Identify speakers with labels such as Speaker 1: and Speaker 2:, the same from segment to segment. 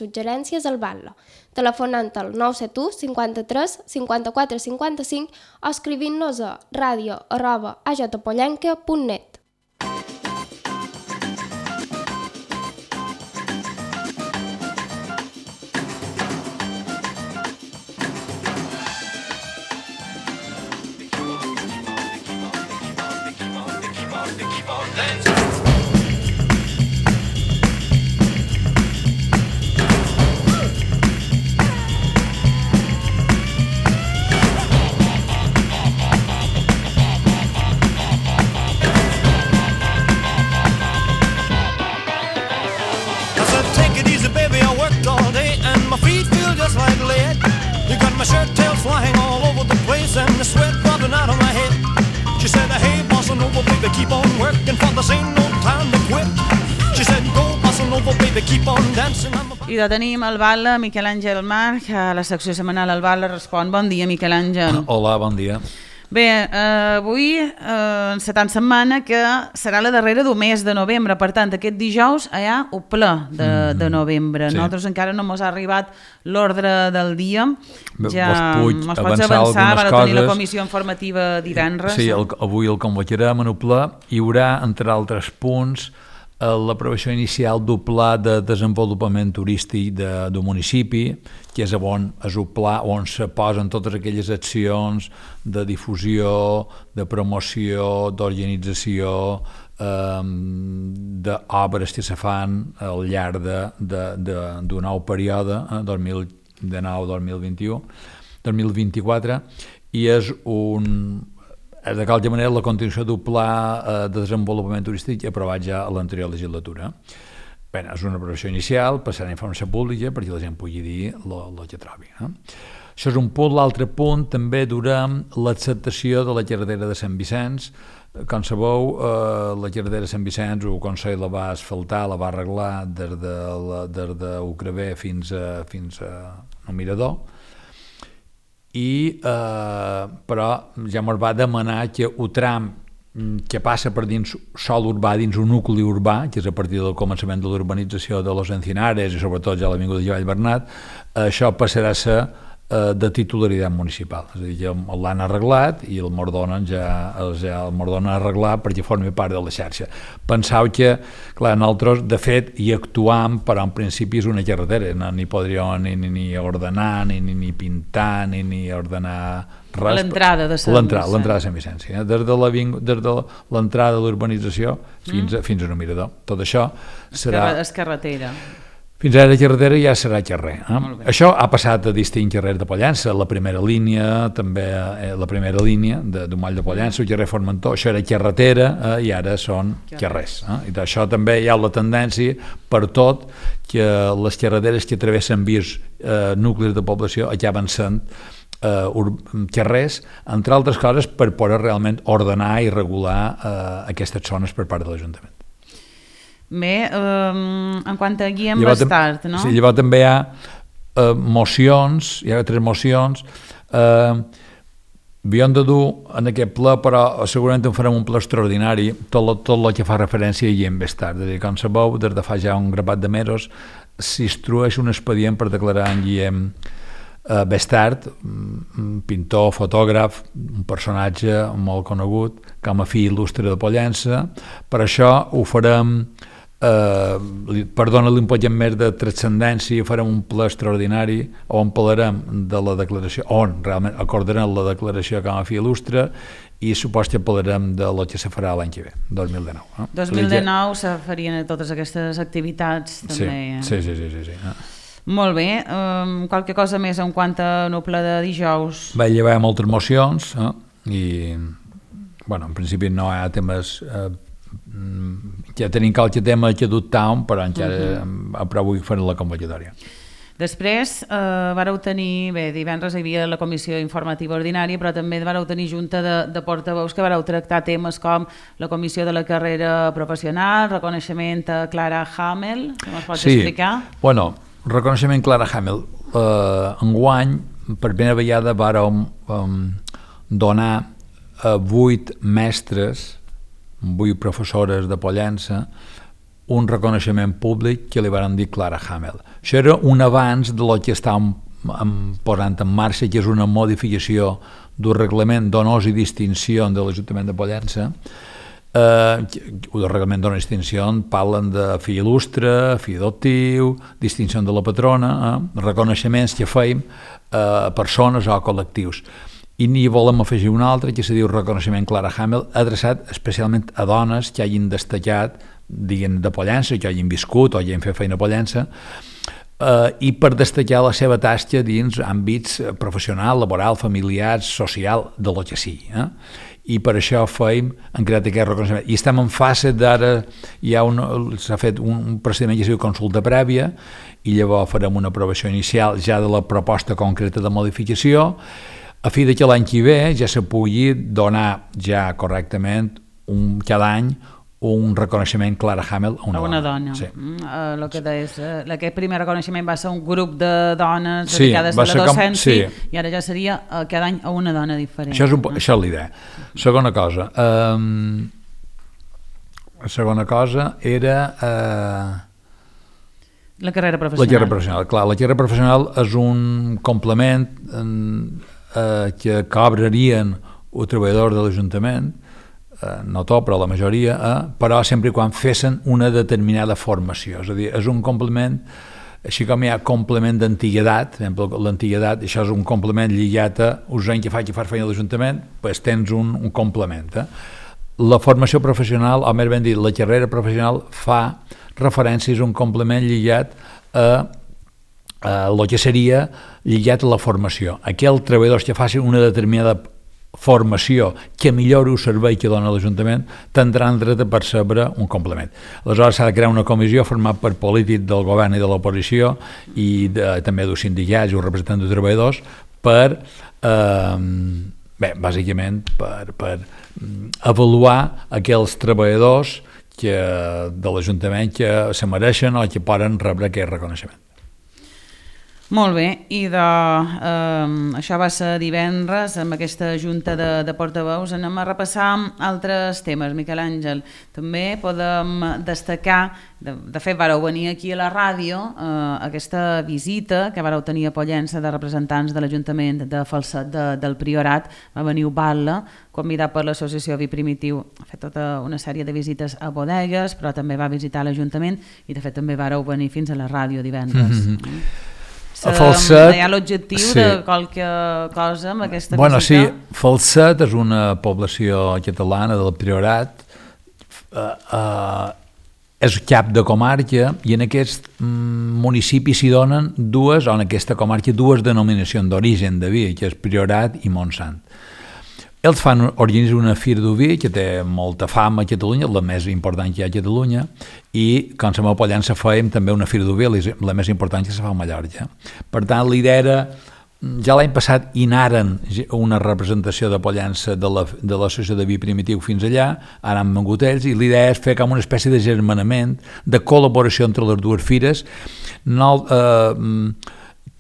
Speaker 1: suggerències al Batlle, telefonant al 971 53 54 55 o escrivint-nos a radio@ajpollenca.net.
Speaker 2: My shirt tails flying all over the place and the sweat dropping out of my head. She said, hey, bossa nova, baby, keep on working for this ain't no time to quit. She said, go, bossa nova, baby, keep on dancing.
Speaker 3: I de tenim al Batlle Miquel Àngel March, a la secció setmanal al Batlle respon. Bon dia, Miquel Àngel.
Speaker 4: Hola, bon dia.
Speaker 3: Bé, avui serà tan setmana que serà la darrera del mes de novembre, per tant, aquest dijous hi ha el ple de novembre. Sí. Nosaltres encara no ens ha arribat l'ordre del dia. Ja ens pots avançar, per tenir la comissió informativa divendres.
Speaker 4: Sí, avui el convocarem en el ple. Hi haurà, entre altres punts, l'aprovació inicial del pla de desenvolupament turístic del municipi, que és el pla on se posen totes aquelles accions de difusió, de promoció, d'organització, d'obres que se fan al llarg d'un nou període, 2019-2021-2024, i és de qualsevol manera la continuació del pla de desenvolupament turístic aprovat ja a l'anterior legislatura. Bé, és una aprovació inicial, passarà a informació pública perquè la gent pugui dir el que trobi. Això és un punt. L'altre punt també durem l'acceptació de la carretera de Sant Vicenç. Com sabeu, la carretera de Sant Vicenç el Consell la va asfaltar, la va arreglar des d'Ucraver fins a el Mirador, però ja ens va demanar que el tram que passa per dins sòl urbà, dins un nucli urbà, que és a partir del començament de l'urbanització de Los Encinares i sobretot ja l'avinguda de Vall Bernat, això passarà a ser de titularitat municipal, és a dir, que l'han arreglat i el mordonen arreglat perquè formi part de la xarxa. Penseu que, clar, nosaltres de fet hi actuam, però en principi és una carretera, no ni podríem ni ordenar, ni pintar, ni ordenar res.
Speaker 3: L'entrada de Sant Vicenç.
Speaker 4: L'entrada de Sant Vicenç, des de l'entrada de l'urbanització fins al Mirador. Tot això serà...
Speaker 3: És carretera.
Speaker 4: Fins ara la carretera ja serà carrer. Això ha passat a distints carrers de Pollença, la primera línia, també la primera línia d'un moll de Pollença, el carrer Formentor, això era carretera i ara són carrers. I això també hi ha la tendència per tot que les carreteres que travessen vies nuclis de població acaben sent carrers, entre altres coses per poder realment ordenar i regular aquestes zones per part de l'Ajuntament.
Speaker 3: Bé, en quant a Guillem Bastard, no?
Speaker 4: Sí, llavors també hi ha mocions, hi ha 3 mocions, havíem de dur en aquest ple, però segurament en farem un ple extraordinari, tot el que fa referència a Guillem Bastard. És a dir, com sabeu, des de fa ja un grapat de mesos s'instrueix un expedient per declarar en Guillem Bastard, pintor, fotògraf, un personatge molt conegut, com a fill il·lustre de Pollença. Per això ho farem, perdona l'impotent més de transcendència, farem un ple extraordinari on parlarem de la declaració, on realment acordarem la declaració com a fill il·lustre i supos que parlarem de lo que se farà l'any que ve, 2019.
Speaker 3: 2019 se farien totes aquestes activitats també.
Speaker 4: Sí.
Speaker 3: Molt bé, qualque cosa més en quant a el ple de dijous?
Speaker 4: Bé, hi ha moltes mocions i, bueno, en principi no hi ha temes, ja tenim qualque tema que dubtàvem, però encara però avui farem la convocatòria.
Speaker 3: Després vareu tenir, bé, divendres hi havia la comissió informativa ordinària, però també vareu tenir junta de portaveus que vareu tractar temes com la comissió de la carrera professional, reconeixement a Clara Hamel, que ens pots explicar?
Speaker 4: Sí, bueno, reconeixement Clara Hamel. Enguany, per primera vegada, vàrem donar 8 mestres, 8 professores de Pollença, un reconeixement públic que li van dir Clara Hamel. Això era un abans de lo que estàvem posant en marxa, que és una modificació del reglament d'honors i distinció de l'Ajuntament de Pollença. El reglament d'honors i distinció parlen de fill il·lustre, fill adoptiu, distinció de la patrona, reconeixements que feim a persones o a col·lectius. I n'hi volem afegir un altre que se diu reconeixement Clara Hamel, adreçat especialment a dones que hagin destacat, diguem, de Pollença, que hagin viscut o hagin fet feina a Pollença, i per destacar la seva tasca dins àmbits professional, laboral, familiar, social, de lo que sigui. I per això hem creat aquest reconeixement. I estem en fase d'ara, s'ha fet un procediment que es diu consulta prèvia, i llavors farem una aprovació inicial ja de la proposta concreta de modificació, a fi que l'any que ve ja se pugui donar ja correctament cada any un reconeixement Clara Hamel a una dona.
Speaker 3: Sí. El que deies, aquest primer reconeixement va ser un grup de dones dedicades a la docència, i ara ja seria cada any a una dona diferent.
Speaker 4: Això és l'idea. Segona cosa era
Speaker 3: la carrera professional.
Speaker 4: Clar, la carrera professional és un complement que cobrarien el treballador de l'Ajuntament, no tot, però la majoria, però sempre quan fessin una determinada formació. És a dir, és un complement, així com hi ha complement d'antiguitat, per exemple, l'antiguitat, això és un complement lligat a uns anys que fas feina a l'Ajuntament, doncs tens un complement. La formació professional, o més ben dit, la carrera professional fa referència a un complement lligat a el que seria lligat a la formació. Aquells treballadors que facin una determinada formació que millori el servei que dona l'Ajuntament tindran dret a percebre un complement. Aleshores s'ha de crear una comissió formada per polítics del govern i de l'oposició i també dels sindicats i els representants de treballadors per bàsicament per avaluar aquells treballadors de l'Ajuntament que se mereixen o que poden rebre aquest reconeixement.
Speaker 3: Molt bé, i això va ser divendres amb aquesta junta de portaveus. Anem a repassar altres temes, Miquel Àngel. També podem destacar, de fet vareu venir aquí a la ràdio, aquesta visita que vareu tenir a Pollença de representants de l'Ajuntament de Falset del Priorat. Va venir Uballa, convidat per l'associació Vi Primitiu, ha fet tota una sèrie de visites a bodegues, però també va visitar l'Ajuntament i de fet també vareu venir fins a la ràdio divendres.
Speaker 4: A Falset,
Speaker 3: hi ha l'objectiu de qualque cosa amb aquesta visita?
Speaker 4: Sí, Falset és una població catalana del Priorat, és cap de comarca i en aquest municipi s'hi donen en aquesta comarca dues denominacions d'origen de vi, que és Priorat i Montsant. Ells organitzen una fira d'oví que té molta fama a Catalunya, la més important que hi ha a Catalunya, i com som a Pollença fèiem també una fira d'oví, la més important que se fa a Mallorca. Per tant, l'idea era, ja l'any passat hi anaren una representació de Pollença de l'associació de Vi Primitiu fins allà, ara han vengut ells, i l'idea és fer com una espècie de germanament, de col·laboració entre les dues fires,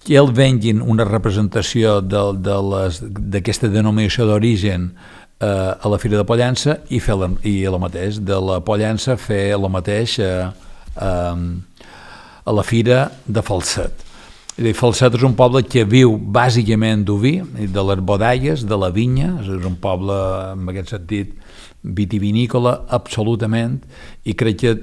Speaker 4: que ells venguin una representació d'aquesta denominació d'origen a la Fira de Pollença i el mateix, de la Pollença fer el mateix a la Fira de Falset. Falset és un poble que viu bàsicament d'oví, de les bodegues, de la vinya, és un poble en aquest sentit vitivinícola absolutament, i crec que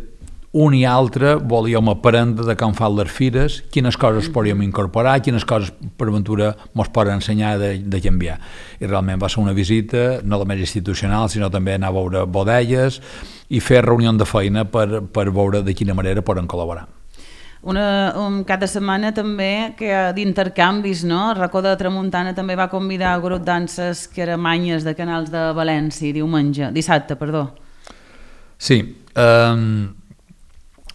Speaker 4: un i altre volíem aprendre de com fan les fires, quines coses podríem incorporar, quines coses per aventura ens poden ensenyar de canviar. I realment va ser una visita no només institucional, sinó també anar a veure bodegues i fer reunió de feina per veure de quina manera poden col·laborar.
Speaker 3: Un cap de setmana també d'intercanvis, no? El Racó de Tramuntana també va convidar el grup danses Caramanyes de Canals de València dissabte.
Speaker 4: Sí,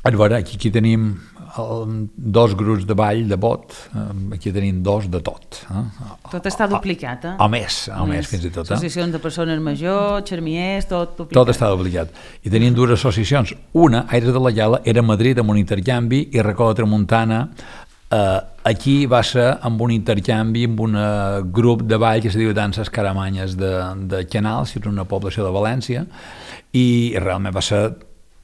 Speaker 4: a veure, aquí tenim dos grups de ball de bot, aquí tenim dos de tot.
Speaker 3: Tot està duplicat,
Speaker 4: O més fins i tot.
Speaker 3: Associacions de persones majors, xermiers, tot duplicat.
Speaker 4: Tot està duplicat. I tenim dues associacions. Una, Aires de la Llala, era a Madrid amb un intercanvi, i Racó de Tramuntana aquí va ser amb un intercanvi amb un grup de ball que es diu Danses Caramanyes de Canals, que és una població de València, i realment va ser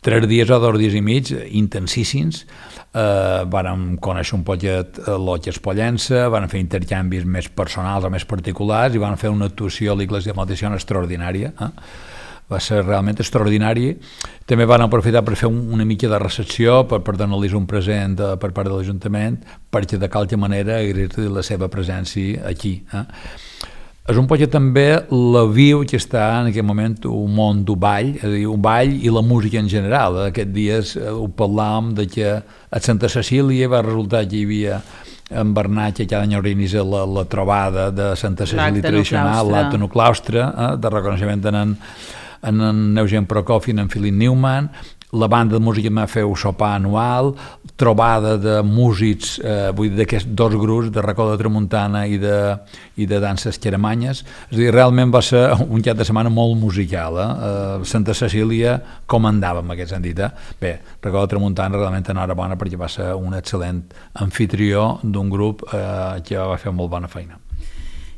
Speaker 4: 3 dies o 2 dies i mig intensíssims. Vàrem conèixer un poquet l'Otges Pollença, van fer intercanvis més personals o més particulars i van fer una actuació a l'Iglesia Maldición extraordinària. Va ser realment extraordinari. També van aprofitar per fer una mica de recepció, per donar-los un present per part de l'Ajuntament, perquè de qualque manera agrair-li la seva presència aquí. És un poc també la viu que està en aquest moment un món d'un ball, és a dir, un ball i la música en general. Aquests dies ho parlàvem de que a Santa Cecília va resultar que hi havia en Bernat, que cada any organitza la trobada de Santa Cecília tradicional, l'acte en el claustre, de reconeixement en Eugen Prokofiev i en Philip Newman. La banda de música va fer un sopar anual, trobada de músics, vull dir, d'aquests 2 grups, de Racó de Tramuntana i de danses xeramanyes. És a dir, realment va ser un cap de setmana molt musical. Santa Cecília comandava en aquest sentit. Bé, Racó de Tramuntana realment enhorabona perquè va ser un excel·lent anfitrió d'un grup que va fer molt bona feina.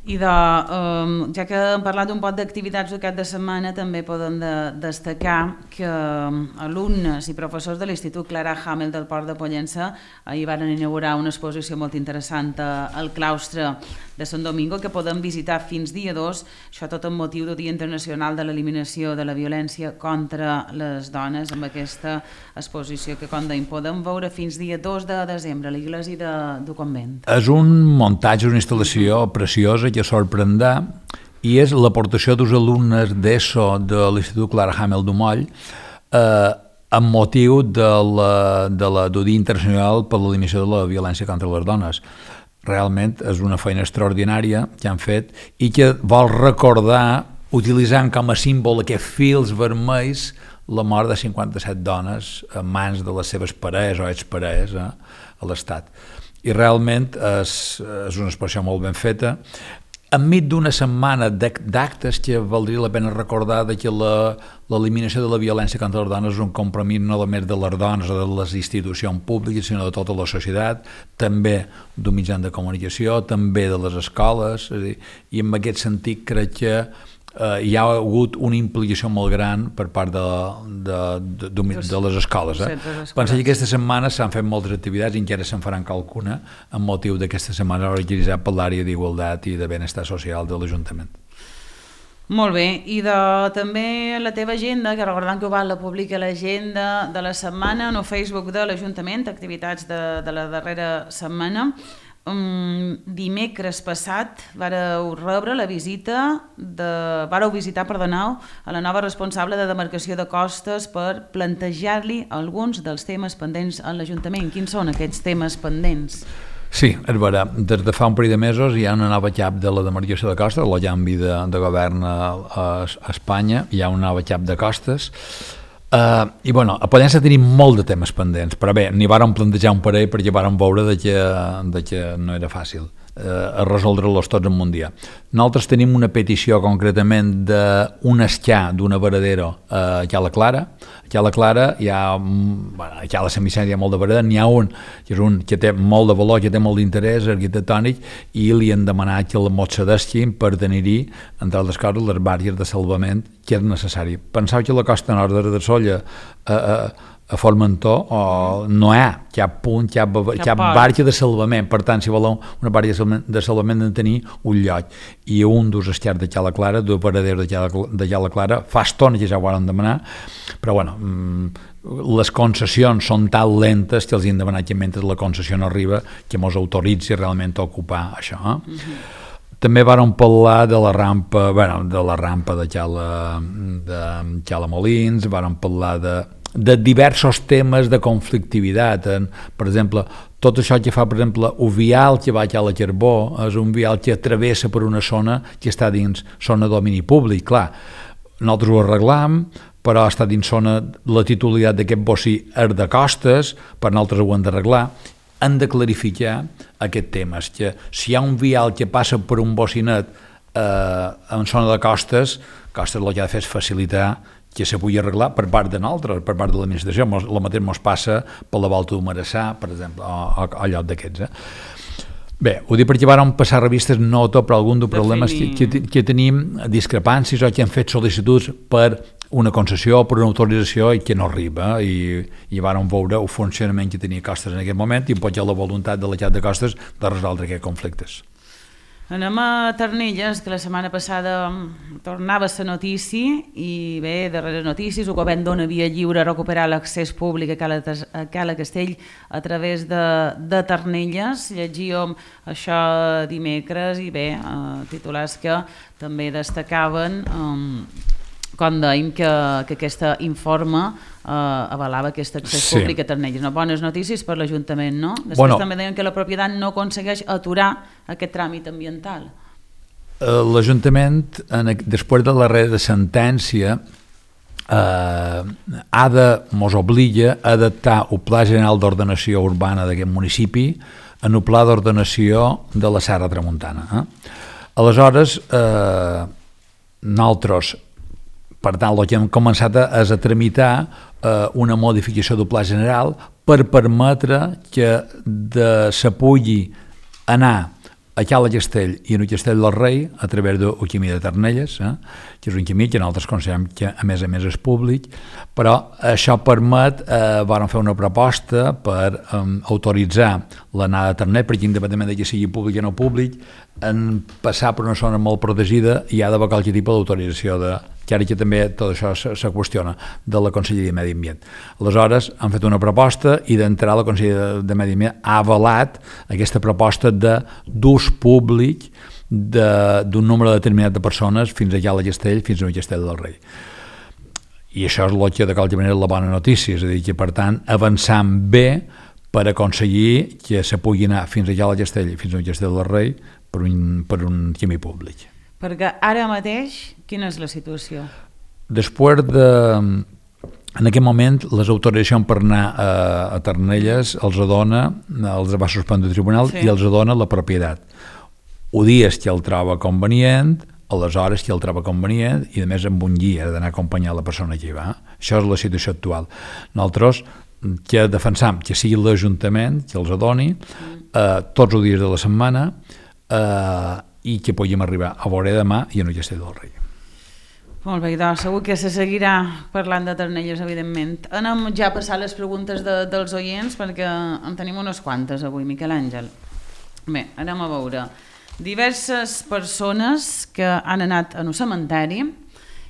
Speaker 3: I ja que hem parlat un poc d'activitats d'aquest de setmana, també podem destacar que alumnes i professors de l'Institut Clara Hamel del Port de Pollença ahir van inaugurar una exposició molt interessant al claustre de Sant Domingo que podem visitar fins dia 2, això tot amb motiu del Dia Internacional de l'Eliminació de la Violència contra les Dones, amb aquesta exposició que, com dèiem, podem veure fins dia 2 de desembre a l'Iglésia del Convent.
Speaker 4: És un muntatge, una instal·lació preciosa que sorprendrà i és l'aportació dels alumnes d'ESO de l'Institut Clara Hamel d'Umoll amb motiu del Dia Internacional per l'Eliminació de la Violència contra les Dones. Realment és una feina extraordinària que han fet i que vol recordar, utilitzant com a símbol aquests fils vermells, la mort de 57 dones en mans de les seves parelles o exparelles a l'Estat. I realment és una expressió molt ben feta, enmig d'una setmana d'actes que valdria la pena recordar que l'eliminació de la violència contra les dones és un compromís no només de les dones o de les institucions públiques, sinó de tota la societat, també d'un mitjà de comunicació, també de les escoles, i en aquest sentit crec que hi ha hagut una implicació molt gran per part de les escoles. Penso que aquesta setmana s'han fet moltes activitats i encara se'n faran qualcuna amb motiu d'aquesta setmana organitzada per l'àrea d'Igualtat i de Benestar Social de l'Ajuntament.
Speaker 3: Molt bé, i també la teva agenda, que recordant que la publica l'agenda de la setmana en el Facebook de l'Ajuntament, activitats de la darrera setmana. Dimecres passat vareu visitar a la nova responsable de demarcació de costes per plantejar-li alguns dels temes pendents a l'Ajuntament. Quins són aquests temes pendents?
Speaker 4: Sí, és vera. Des de fa un parell de mesos hi ha una nova cap de la demarcació de costes, el canvi de govern a Espanya, hi ha un nou cap de costes. I bueno, a Pollença tenim molt de temes pendents, però bé, n'hi vàrem plantejar un parell perquè vàrem veure que no era fàcil a resoldre-los tots en un dia. Nosaltres tenim una petició concretament d'un esquiar d'una varadero a Cala Clara. A Cala Clara hi ha, a Cala Sant Vicenç hi ha molt de varadero, n'hi ha un que té molt de valor, que té molt d'interès arquitectònic, i li han demanat que el cedeixin per tenir-hi, entre altres coses, les bàries de salvament que és necessari. Penseu que la costa nord de Solla a Formentor no hi ha cap punt, cap barca de salvament. Per tant, si voleu una barca de salvament, han de tenir un lloc. I un dels esquiars de Cala Clara, dos paraderos de Cala Clara, fa estona que ja ho van demanar, però bueno, les concessions són tan lentes que els han demanat que mentre la concessió no arriba que mos autoritzi realment a ocupar això. També vàrem parlar de la rampa de Cala Molins, vàrem parlar de diversos temes de conflictivitat. Per exemple, tot això que fa, per exemple, un vial que va a Cala Carbó és un vial que travessa per una zona que està dins zona de domini públic. Clar, nosaltres ho arreglam, però està dins zona, la titularitat d'aquest bocí és de costes, per nosaltres ho hem d'arreglar. Han de clarificar aquest tema, que si hi ha un vial que passa per un bocinet en zona de costes el que ha de fer és facilitar que se pugui arreglar per part de nosaltres, per part de l'administració. El mateix ens passa per la volta d'Humareçà, per exemple, o lloc d'aquests. Bé, ho dic perquè vàrem passar revistes no tot, però algun dels problemes que tenim, discrepàncies o que han fet sol·licituds per una concessió, per una autorització, i que no arriba, i vàrem veure el funcionament que tenia Costes en aquest moment i potser la voluntat de l'Exèrcit de Costes de resoldre aquests conflictes.
Speaker 3: Anem a Ternelles, que la setmana passada tornava la notícia i bé, darrere notícies, el govern dona via lliure a recuperar l'accés públic a Cala Castell a través de Ternelles. Llegíem això dimecres i bé, titulars que també destacaven com dèiem que aquest informe avalava aquest accés públic a Ternelles. Bones notícies per l'Ajuntament, no? Després també deien que la propietat no aconsegueix aturar aquest tràmit ambiental.
Speaker 4: L'Ajuntament, després de la darrera sentència, mos obliga a adaptar el Pla General d'Ordenació Urbana d'aquest municipi en el Pla d'Ordenació de la Serra Tramuntana. Aleshores, nosaltres, per tant, el que hem començat és a tramitar una modificació del Pla General per permetre que se pugui anar a Cala Castell i a Castell del Rei a través del camí de Ternelles, que és un camí que nosaltres considerem que a més és públic, però això permet, vam fer una proposta per autoritzar l'anada a Ternelles, perquè independentment que sigui públic o no públic, en passar per una zona molt protegida hi ha d'haver qualsevol tipus d'autorització que ara que també tot això se qüestiona de la Conselleria de Medi Ambient. Aleshores, han fet una proposta i d'entrar la Conselleria de Medi Ambient ha avalat aquesta proposta d'ús públic d'un número determinat de persones fins a Cala Castell, fins a Castell del Rei. I això és el que de qualsevol manera és la bona notícia, és a dir, que per tant avançant bé per aconseguir que se pugui anar fins a Cala Castell, fins a Castell del Rei per un camí públic.
Speaker 3: Perquè ara mateix, quina és la situació?
Speaker 4: Després en aquest moment, les autoritzacions per anar a Ternelles els va suspendre el tribunal i els dona la propietat. Ho dies que el troba convenient, aleshores que el troba convenient i a més amb un guia d'anar a acompanyar la persona que hi va. Això és la situació actual. Nosaltres que defensam que sigui l'Ajuntament que els doni tots els dies de la setmana i que puguem arribar a veure demà i a Castell del Rei.
Speaker 3: Molt bé, doncs segur que se seguirà parlant de Ternelles, evidentment. Anem ja a passar les preguntes dels oients perquè en tenim unes quantes avui, Miquel Àngel. Bé, anem a veure. Diverses persones que han anat a un cementeri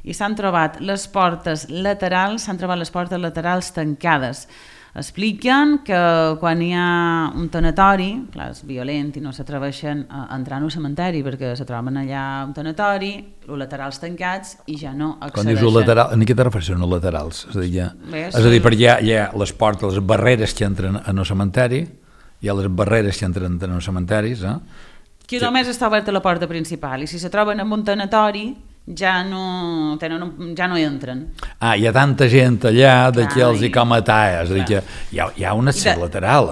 Speaker 3: i s'han trobat les portes laterals tancades. Expliquen que quan hi ha un tanatori, clar, és violent i no s'atreveixen a entrar en un cementeri perquè se troben allà un tanatori, els laterals tancats i ja no accedeixen.
Speaker 4: Quan dius lateral, en què te refereixes els laterals? És a dir, perquè hi ha les portes, les barreres que entren en el cementeri, hi ha les barreres que entren en els cementaris.
Speaker 3: Que només està oberta la porta principal i si se troben en un tanatori ja no hi entren.
Speaker 4: Hi ha tanta gent allà que els hi com a talles, és a dir, que hi ha un accés lateral.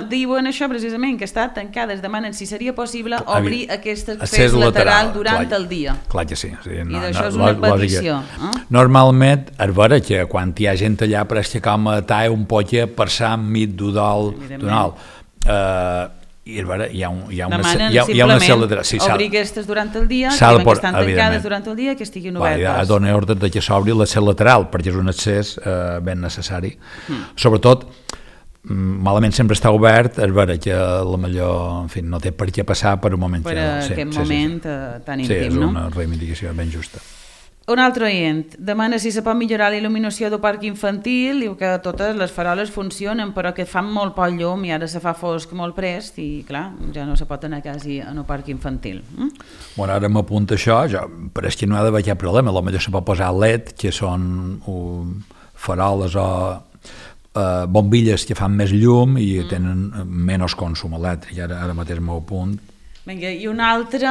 Speaker 3: Diuen això precisament, que està tancades, demanen si seria possible obrir aquest accés lateral durant el dia.
Speaker 4: Clar que sí.
Speaker 3: I d'això és una petició.
Speaker 4: Normalment, és vera que quan hi ha gent allà pareix que com a tall un poc per Sant Mit d'Udol, i hi ha una cel·la lateral.
Speaker 3: Obrir aquestes durant el dia, que estan tancades durant el dia, que estiguin obertes.
Speaker 4: Ha donat ordre que s'obri la cel·la lateral, perquè és un accés ben necessari. Sobretot, malament sempre està obert, és vera que millor no té per què passar per un moment.
Speaker 3: Per aquest moment tan íntim, no?
Speaker 4: Sí, és una reivindicació ben justa.
Speaker 3: Un altre oient demana si se pot millorar la il·luminació del parc infantil, diu que totes les faroles funcionen però que fan molt poc llum i ara se fa fosc molt prest i clar, ja no se pot anar quasi en el parc infantil.
Speaker 4: Bueno, ara m'apunta això, però és que no ha d'haver cap problema, potser se pot posar LED, que són faroles o bombilles que fan més llum i tenen menys consum elèctric, ara mateix m'ho apunt.
Speaker 3: Vinga, i un altre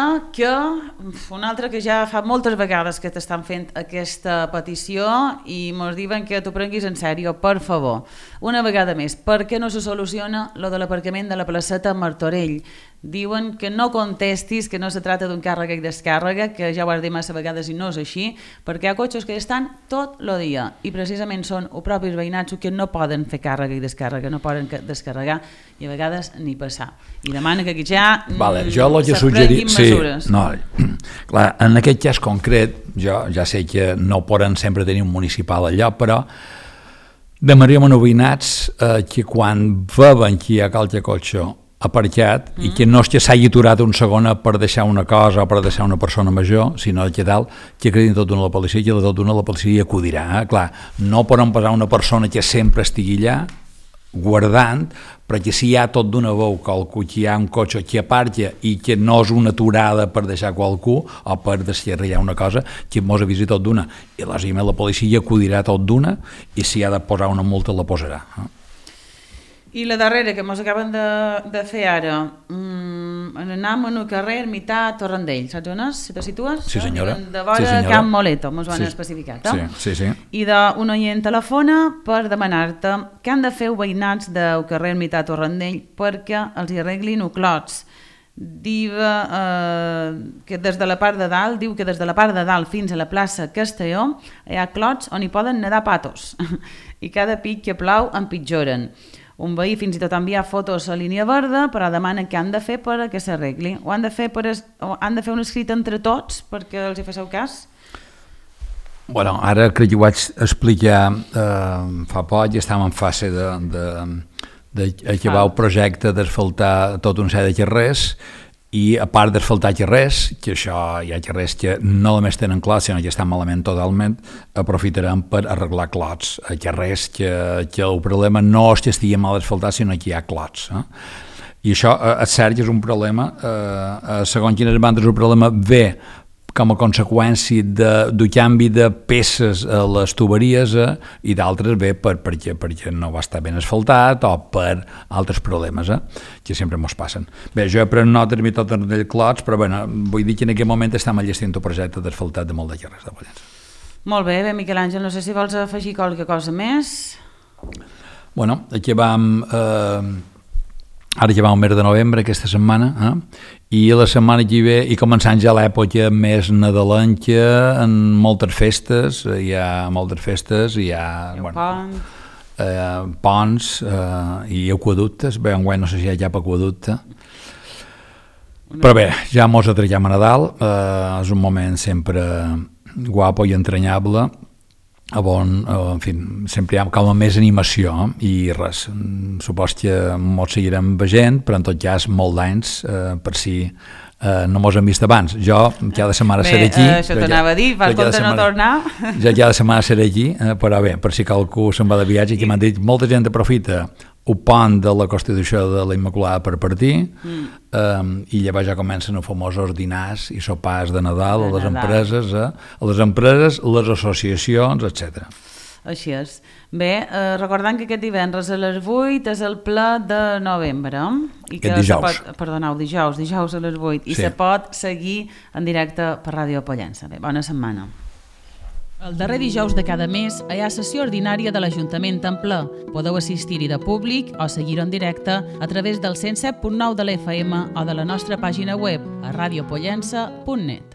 Speaker 3: que ja fa moltes vegades que t'estan fent aquesta petició i mos diuen que t'ho prenguis en sèrio, per favor. Una vegada més, per què no se soluciona lo de l'aparcament de la placeta Martorell? diuen que no contestis, que no se tracta d'un càrrega i descàrrega, que ja ho has dit massa vegades i no és així, perquè hi ha cotxes que estan tot el dia i precisament són els propis veïnats que no poden fer càrrega i descàrrega, no poden descarregar i a vegades ni passar. I demana que aquí ja se prenguin mesures.
Speaker 4: No, clar, en aquest cas concret, jo ja sé que no poden sempre tenir un municipal allò, però demanaríem a veïnats que quan veuen que hi ha qualque cotxe aparcat i que no és que s'hagi aturat un segon per deixar una cosa o per deixar una persona major, sinó que tal, que credin tot d'una la policia i que tot d'una la policia acudirà. Clar, no poden posar una persona que sempre estigui allà guardant, perquè si hi ha tot d'una veu qualcú, que hi ha un cotxe que aparca i que no és una aturada per deixar qualcú o per descarregar una cosa, que mos avisi tot d'una. I lògicament la policia acudirà tot d'una i si ha de posar una multa la posarà.
Speaker 3: I la darrera que ens acaben de fer ara, anem en el carrer Ermità Torrendell, saps on és? Si te situes?
Speaker 4: Sí, senyora.
Speaker 3: De vora Camp Moleto, ens ho han especificat.
Speaker 4: Sí.
Speaker 3: I d'un oient telefona per demanar-te què han de fer els veïnats del carrer Ermità Torrendell perquè els hi arreglin clots. Diu que des de la part de dalt fins a la plaça Castelló hi ha clots on hi poden nedar patos i cada pic que plou empitjoren. Un veí fins i tot envia fotos a línia verda, però demana què han de fer per que s'arregli. O han de fer un escrit entre tots perquè els hi faceu cas?
Speaker 4: Bueno, ara crec que ho vaig explicar fa poc i estàvem en fase d'acabar el projecte d'asfaltar tot un set de carrers i a part d'asfaltar carrers, que això hi ha carrers que no només tenen clots, sinó que estan malament totalment, aprofitarem per arreglar clots a carrers que el problema no és que estigui mal asfaltat, sinó que hi ha clots. I això, és cert que és un problema, segons quines bandes el problema ve com a conseqüència del canvi de peces a les tuberies i d'altres ve perquè no va estar ben asfaltat o per altres problemes que sempre ens passen. Bé, jo he pres nota de tot en el clots, però bueno, vull dir que en aquest moment estem enllestint un projecte d'asfaltat de molt de carrers de Pollença.
Speaker 3: Molt bé, Miquel Àngel, no sé si vols afegir qualque cosa més.
Speaker 4: Bueno, aquí vam... Ara ja va el mes de novembre, aquesta setmana, i la setmana que ve, i començant ja l'època més nadalenca, en moltes festes, hi ha ponts i aquaductes, bé, enguany no sé si hi ha cap aquaducte, però bé, ja mos atracam a Nadal, és un moment sempre guapo i entranyable, on, en fi, sempre hi ha com més animació i res, supos que mos seguirem veient, però en tot cas molt d'anys per si no mos hem vist abans. Jo cada setmana seré aquí.
Speaker 3: Això t'anava a dir, fas compte no tornar.
Speaker 4: Jo cada setmana seré aquí, però bé, per si qualcú se'n va de viatge, que m'han dit, molta gent aprofita el pont de la Constitució de la Immaculada per partir i llavors ja comencen els famosos dinars i sopars de Nadal a les empreses, les associacions, etc.
Speaker 3: Així és. Bé, recordant que aquest divendres a les 8 és el ple de novembre.
Speaker 4: Aquest dijous.
Speaker 3: Dijous a les 8. I se pot seguir en directe per Ràdio Pollença. Bé, bona setmana. El darrer dijous de cada mes hi ha sessió ordinària de l'Ajuntament en ple. Podeu assistir-hi de públic o seguir-ho en directe a través del 107.9 de l'FM o de la nostra pàgina web a radiopollença.net.